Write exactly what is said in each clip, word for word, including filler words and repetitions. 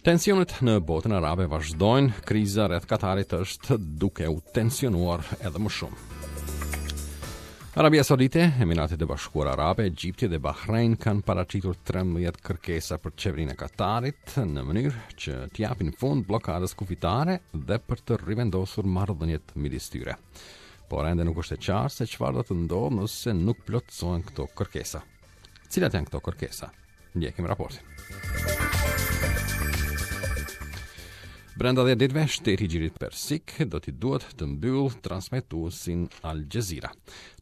Tensionet në botën arabe vazhdojnë, kriza rreth Katarit është duke u tensionuar edhe më shumë. Arabia Saudite, Emiratet e Bashkuara Arabe, Egjipti dhe Bahrein kanë paraqitur trembëdhjetë kërkesa për qeverinë e Katarit në mënyrë që t'i japin fund bllokadës kufitare dhe për të rivendosur marrëdhëniet midis tyre. Por ende nuk është e qartë se çfarë do të ndodhë nëse nuk plotësohen këto kërkesa. Cilat janë këto kërkesa? Ndjekim raportin. Brenda dhjetë ditëve, shteti i Gjirit Persik do t'i duhet të mbyll transmetuesin Al Jazeera,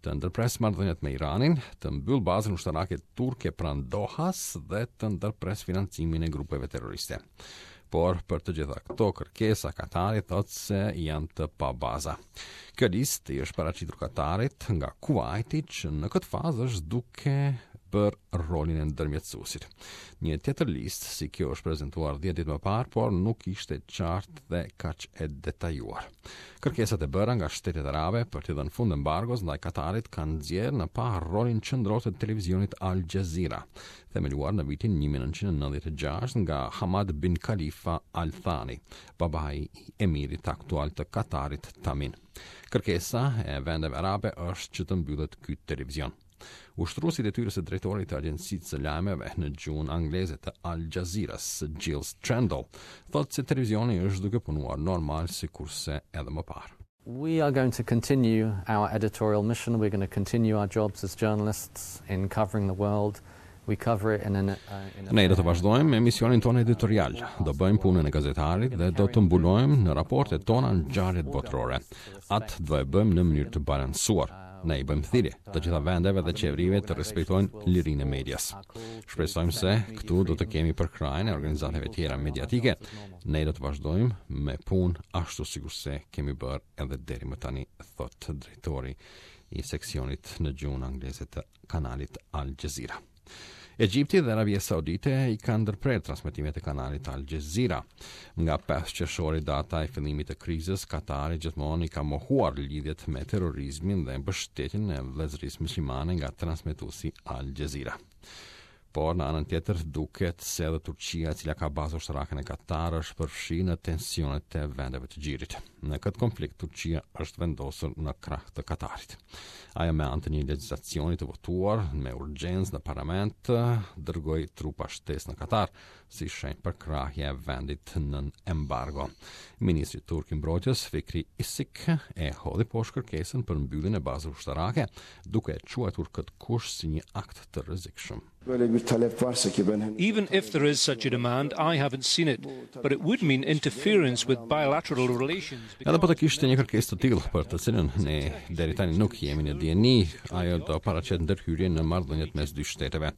të ndërpres marrëdhëniet me Iranin, të mbyll bazën ushtarake turke pranë Dohas dhe të ndërpres financimin e grupeve terroriste. Por për të gjitha këto kërkesa, Katari thotë se janë të pabaza. Kjo listë i është paraqitur Katarit nga Kuwaiti, që në këtë fazë është duke bërë rolin e ndërmjetësuesit. Një tjetër listë si kjo është prezantuar dhjetë ditë më parë, por nuk ishte qartë dhe kaq e detajuar. Kërkesat e bëra nga shtetet arabe për t'i dhënë fund embargos ndaj Katarit kanë nxjerrë në pah rolin qendror të televizionit Al Jazeera, themeluar në vitin një mijë e nëntëqind e nëntëdhjetë e gjashtë nga Hamad bin Khalifa Al Thani, babai i emirit aktual të Katarit Tamim. Kërkesa e vendeve arabe është që të mbyllet ky televizion. Ushtruesi i detyrës së drejtorit të agjencisë së lajmeve në gjuhën angleze të Al Jazeera-s, Giles Trendall, thotë se televizioni është duke punuar normal sikurse edhe më parë. We are going to continue our editorial mission. We're going to continue our jobs as journalists in covering the world. We cover it in an, uh, in a Ne do të vazhdojmë me misionin tonë editorial, do bëjmë punën e gazetarit dhe do të mbulojmë në raportet tona ngjarjet botërore. Atë do e bëjmë në mënyrë të balancuar. Ne i bëjmë thirrje të gjitha vendeve dhe qeverive të respektojnë lirinë e medias. Shpresojmë se këtu do të kemi përkrahjen e organizatave tjera mediatike. Ne do të vazhdojmë me punë ashtu sikurse kemi bërë edhe deri më tani, thotë drejtori i seksionit në gjuhën angleze të kanalit Al Jazeera. Egjipti dhe Arabia Saudite i kanë ndërprerë transmetimet e kanalit Al Jazeera. Nga pesë qershori, data e fillimit të krizës, Katari gjithmonë i ka mohuar lidhjet me terrorizmin dhe mbështetjen e vëllezërisë muslimane nga transmetuesi Al Jazeera. Por në anën tjetër duket se edhe Turqia, e cila ka bazë ushtarake në Katar, është përfshirë në tensionet e vendeve të gjirit. Në këtë konflikt Turqia është vendosur në krah të Katarit. Ajo me anë të një legjislacioni të votuar me urgjencë në parlament dërgoi trupa shtesë në Katar si shenjë përkrahje e vendit nën embargo. Ministri turk i mbrojtjes Fikri Isik e hodhi poshtë kërkesën për mbylljen e bazës ushtarake, duke e quajtur këtë kusht si një akt të rrezikshëm. Böyle bir talep varsa ki ben henüz Even if there is such a demand, I haven't seen it, but it would mean interference with bilateral relations. Edhe po të kishte një kërkesë të tillë për të cilën ne deri tani nuk jemi në dijeni, ajo do paraqet ndërhyrje në marrëdhëniet mes dy shteteve.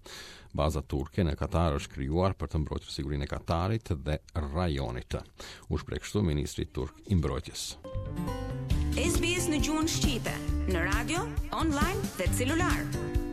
Baza turke në Katar është krijuar për të mbrojtur sigurinë e Katarit dhe rajonit. U shpreh kështu ministri turk i mbrojtjes. S B S në gjuhën shqipe, në radio, online dhe celular.